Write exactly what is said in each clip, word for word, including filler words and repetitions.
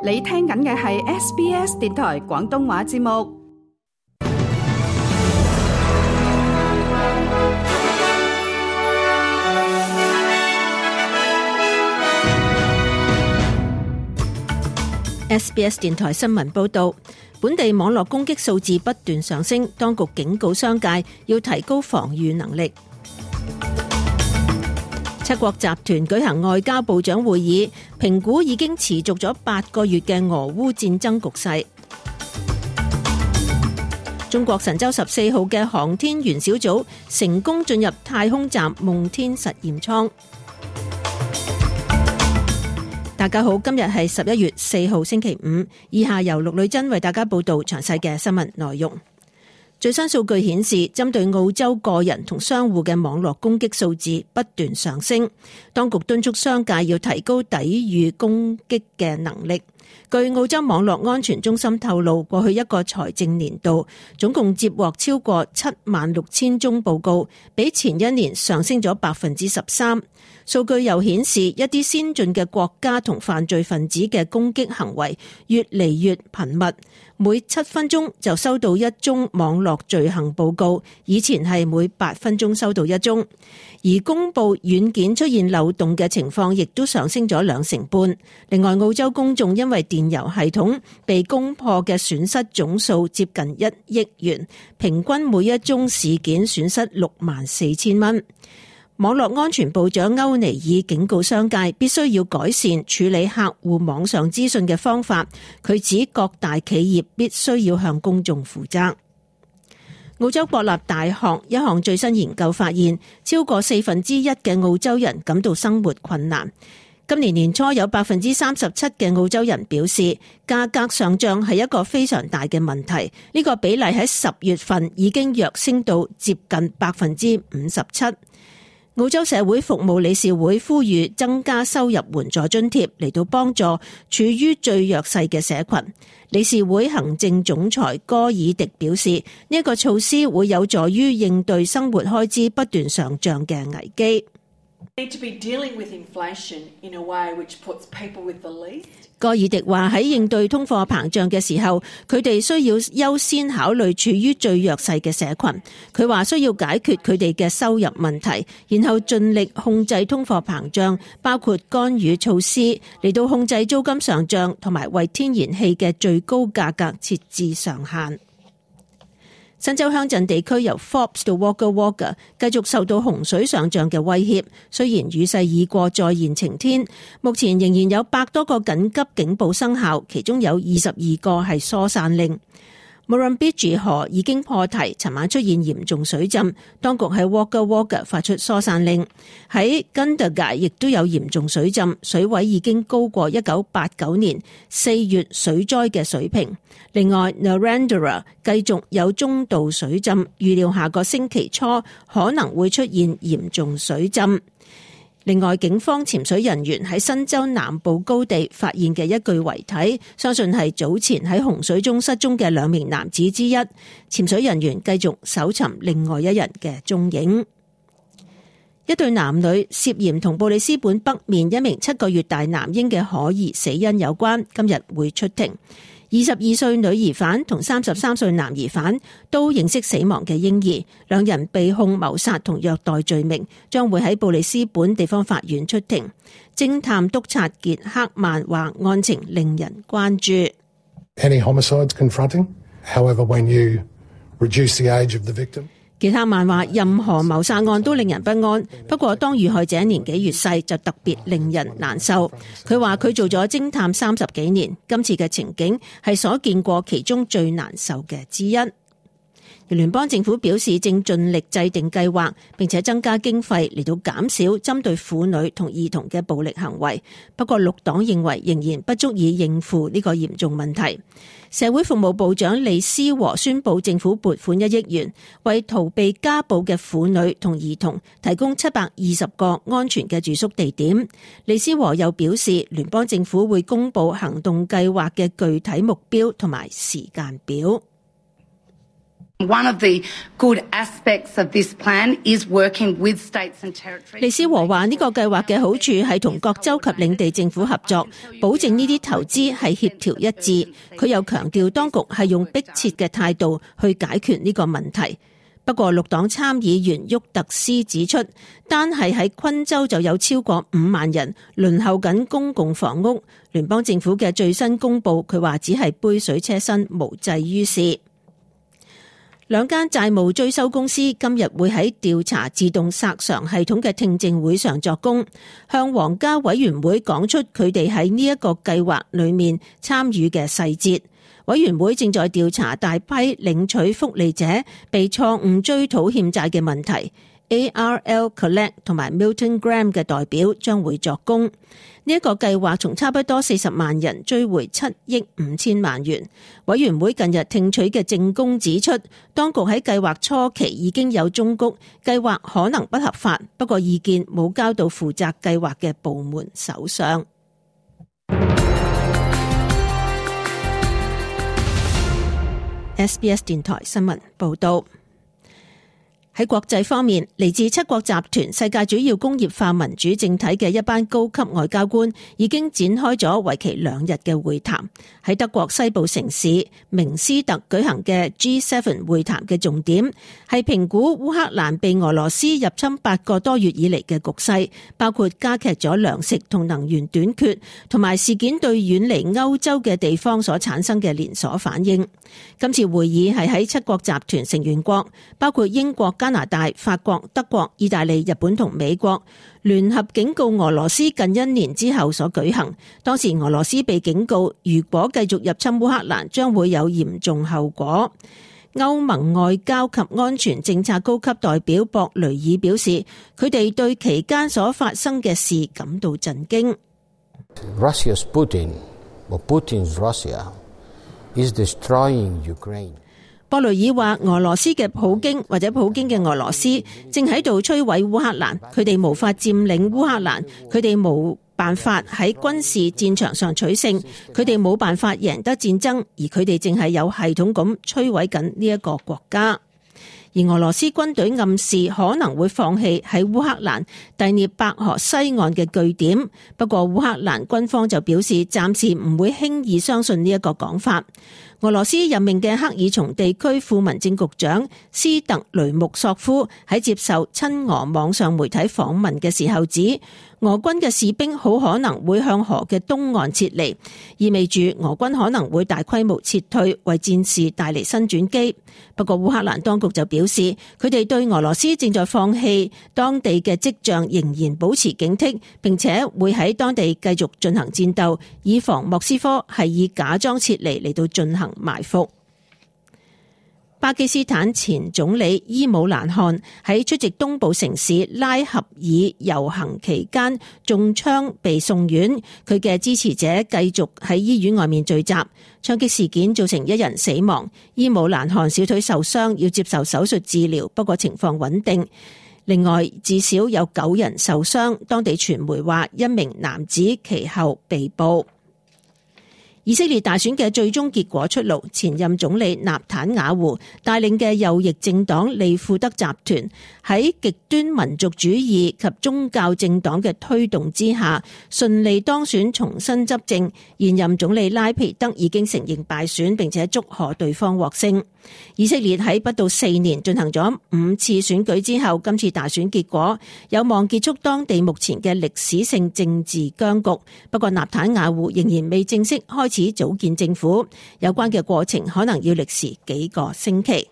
你聽緊嘅係 S B S 電台廣東話節目。S B S 電台新聞報道，本地網絡攻擊數字不斷上升，當局警告商界要提高防禦能力。七國集團舉行外交部長會議，評估已經持續咗八個月嘅俄烏戰爭局勢。中國神舟十四號嘅航天員小組成功進入太空站夢天實驗艙。大家好，今日係十一月四號星期五，以下由陸女珍為大家報道詳細嘅新聞內容。最新數據顯示，針對澳洲個人同商戶嘅網絡攻擊數字不斷上升，當局敦促商界要提高抵禦攻擊嘅能力。據澳洲網絡安全中心透露，過去一個財政年度總共接獲超過七萬六千宗報告，比前一年上升咗百分之十三。數據又顯示，一啲先進嘅國家同犯罪分子嘅攻擊行為越嚟越頻密，每七分鐘就收到一宗網絡罪行報告，以前係每八分鐘收到一宗。而公佈軟件出現漏洞嘅情況亦都上升咗兩成半。另外，澳洲公眾因為電郵系統被攻破嘅損失總數接近一億元，平均每一宗事件損失六萬四千蚊。網絡安全部長歐尼爾警告商界必須要改善處理客戶網上資訊嘅方法。佢指各大企業必須要向公眾負責。澳洲國立大學一項最新研究發現，超過四分之一嘅澳洲人感到生活困難。今年年初有百分之三十七嘅澳洲人表示，價格上漲係一個非常大嘅問題。呢個比例喺十月份已經躍升到接近百分之五十七。澳洲社會服務理事會呼籲增加收入援助津貼嚟到幫助處於最弱勢嘅社群。理事會行政總裁戈爾迪表示，呢一個措施會有助於應對生活開支不斷上漲嘅危機。戈爾迪話喺應對通貨膨脹嘅時候，佢哋需要優先考慮處於最弱勢嘅社群。佢話需要解決佢哋嘅收入問題，然後盡力控制通貨膨脹，包括干預措施嚟到控制租金上漲，同埋為天然氣嘅最高價格設置上限。新州鄉鎮地區由 Forbes 到 Wagga Wagga 繼續受到洪水上漲嘅威脅，雖然雨勢已過，再現晴天，目前仍然有百多個緊急警報生效，其中有二十二個係疏散令。Murrumbidgee 河已經破堤，尋晚出現嚴重水浸，當局喺 Wagga Wagga 發出疏散令。喺 Gundagai 亦都有嚴重水浸，水位已經高過一九八九年四月水災嘅水平。另外 Narrandera 繼續有中度水浸，預料下個星期初可能會出現嚴重水浸。另外，警方潛水人員喺新州南部高地發現嘅一具遺體，相信係早前喺洪水中失蹤嘅兩名男子之一。潛水人員繼續搜尋另外一人嘅蹤影。一對男女涉嫌同布里斯本北面一名七個月大男嬰嘅可疑死因有關，今日會出庭。二十二歲女疑犯同三十三歲男疑犯都認識死亡嘅嬰兒，兩人被控謀殺同虐待罪名，將會喺布里斯本地方法院出庭。偵探督察傑克曼話案情令人關注。Any homicides confronting? However, when you reduce the age of the victim,傑克曼話任何謀殺案都令人不安，不過當遇害者年紀越細就特別令人難受。佢話佢做咗偵探三十幾年，今次嘅情景係所見過其中最難受嘅之一。聯邦政府表示正盡力制定計劃，並且增加經費嚟到減少針對婦女同兒童嘅暴力行為。不過綠黨認為仍然不足以應付呢個嚴重問題。社會服務部長李思和宣布政府撥款一億元，為逃避家暴嘅婦女同兒童提供七百二十個安全嘅住宿地點。李思和又表示，聯邦政府會公布行動計劃嘅具體目標同埋時間表。One of the good aspects of this plan is working with states and territories. 李思和話呢個計劃嘅好處係同各州及領地政府合作，保證呢啲投資係協調一致。佢又強調當局係用迫切嘅態度去解決呢個問題。不過綠黨參議員沃特斯指出，單係喺昆州就有超過五萬人輪候緊公共房屋。聯邦政府嘅最新公佈，佢話只係杯水車薪，無濟於事。兩間債務追收公司今日會喺調查自動索償系統嘅聽證會上作供，向皇家委員會講出佢哋喺呢一個計劃裏面參與嘅細節。委員會正在調查大批領取福利者被錯誤追討欠債嘅問題。A R L Collect 同埋 Milton Graham 嘅代表將會作供。呢一個計劃從差不多四十萬人追回七億五千萬元。委員會近日聽取嘅證供指出，當局喺計劃初期已經有忠告，計劃可能不合法，不過意見冇交到負責計劃嘅部門手上。S B S 電台新聞報道。喺國際方面，嚟自七國集團世界主要工業化民主政體嘅一班高級外交官已經展開咗為期兩日嘅會談。喺德國西部城市明斯特舉行嘅 G 七 會談嘅重點係評估烏克蘭被俄羅斯入侵八個多月以嚟嘅局勢，包括加劇咗糧食同能源短缺，同埋事件對遠離歐洲嘅地方所產生嘅連鎖反應。今次會議係喺七國集團成員國，包括英國、加拿大、法國、德國、意大利、日本同美國聯合警告俄羅斯近一年之後所舉行。當時俄羅斯被警告，如果繼續入侵烏克蘭，將會有嚴重後果。歐盟外交及安全政策高級代表博雷爾表示，佢哋對期間所發生嘅事感到震驚。Russia's Putin, or Putin's Russia, is destroying Ukraine. 博雷爾話，俄羅斯嘅普京或者普京嘅俄羅斯正喺度摧毀烏克蘭，佢哋無法佔領烏克蘭，佢哋冇辦法喺軍事戰場上取勝，佢哋冇辦法贏得戰爭，而佢哋正係有系統咁摧毀緊呢一個國家。而俄羅斯軍隊暗示可能會放棄喺烏克蘭第聶伯河西岸嘅據點，不過烏克蘭軍方就表示暫時唔會輕易相信呢一個講法。俄羅斯任命嘅克爾松地區副民政局長斯特雷穆索夫喺接受親俄網上媒體訪問嘅時候指，俄軍嘅士兵好可能會向河嘅東岸撤離，意味住俄軍可能會大規模撤退，為戰事帶嚟新轉機。不過烏克蘭當局就表示，佢哋對俄羅斯正在放棄當地嘅跡象仍然保持警惕，並且會喺當地繼續進行戰鬥，以防莫斯科係以假裝撤離嚟到進行埋伏。巴基斯坦前總理伊姆蘭汗喺出席東部城市拉合爾遊行期間中槍被送院，佢嘅支持者繼續喺醫院外面聚集，槍擊事件造成一人死亡，伊姆蘭汗小腿受傷要接受手術治療，不過情況穩定。另外至少有九人受傷，當地傳媒話一名男子其後被捕。以色列大選嘅最終結果出爐，前任總理納坦雅胡帶領嘅右翼政黨利庫德集團喺極端民族主義及宗教政黨嘅推動之下，順利當選重新執政。現任總理拉皮德已經承認敗選，並且祝賀對方獲勝。以色列喺不到四年進行咗五次選舉之後，今次大選結果有望結束當地目前嘅歷史性政治僵局。不過納坦雅胡仍然未正式開始組建政府，有關嘅過程可能要歷時幾個星期。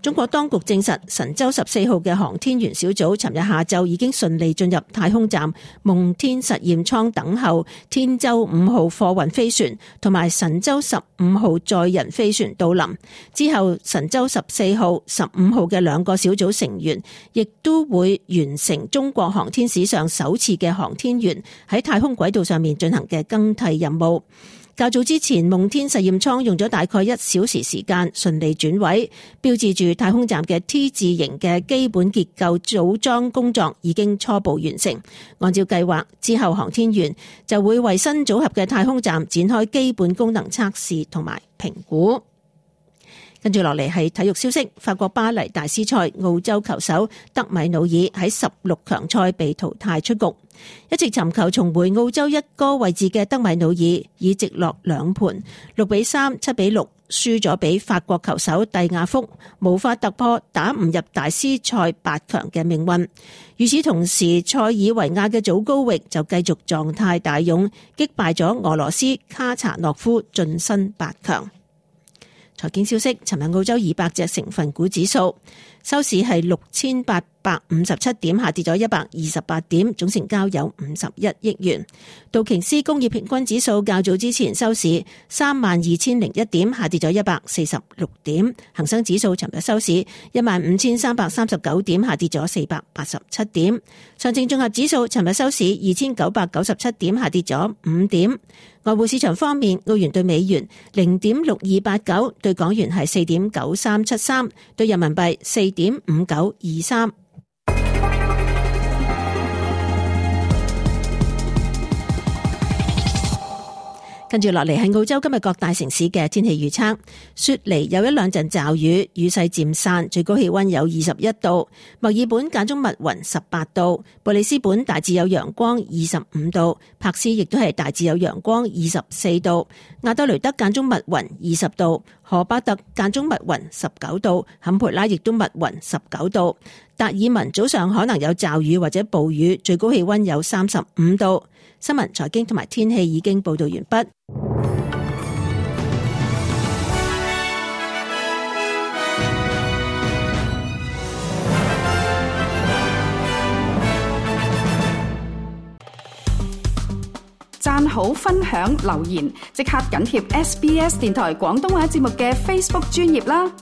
中國當局證實，神舟十四號嘅航天員小組尋日下晝已經順利進入太空站夢天實驗艙等候天舟五號貨運飛船同埋神舟十五號載人飛船到臨。之後，神舟十四號、十五號嘅兩個小組成員亦都會完成中國航天史上首次嘅航天員喺太空軌道上面進行嘅更替任務。較早之前，夢天實驗艙用咗大概一小時時間順利轉位，標誌住太空站嘅 T 字形嘅基本結構組裝工作已經初步完成。按照計劃，之後航天員就會為新組合嘅太空站展開基本功能測試同埋評估。跟住落嚟係體育消息，法國巴黎大師賽，澳洲球手德米努爾喺十六強賽被淘汰出局。一直尋求重回澳洲一哥位置嘅德米努爾以直落兩盤六比三、七比六輸咗俾法國球手蒂亞福，無法突破打唔入大師賽八強嘅命運。與此同時，塞爾維亞嘅祖高域就繼續狀態大勇，擊敗咗俄羅斯卡查諾夫，晉身八強。財經消息，尋日澳洲二百隻成分股指數收市係六千八百五十七點，下跌咗一百二十八點，總成交有五十一億元。道瓊斯工業平均指數較早之前收市三萬二千零一點，下跌咗一百四十六點。恒生指數尋日收市一萬五千三百三十九點，下跌咗四百八十七點。上證綜合指數尋日收市二千九百九十七點，下跌咗五點。外匯市場方面，澳元對美元零點六二八九，對港元係四點九三七三，對人民幣四點五九二三。跟住落嚟係澳洲今日各大城市嘅天氣預測。雪梨有一兩陣驟雨，雨勢漸散，最高氣溫有二十一度。墨爾本間中密雲十八度，布里斯本大致有陽光二十五度，柏斯亦都係大致有陽光二十四度。亞德雷德間中密雲二十度，荷巴特間中密雲十九度，坎培拉亦都密雲十九度。達爾文早上可能有驟雨或者暴雨，最高氣溫有三十五度。新聞、財經同埋天氣已經報道完畢。讚好、分享、留言，即刻緊貼 S B S 電台廣東話節目嘅 Facebook 專頁啦！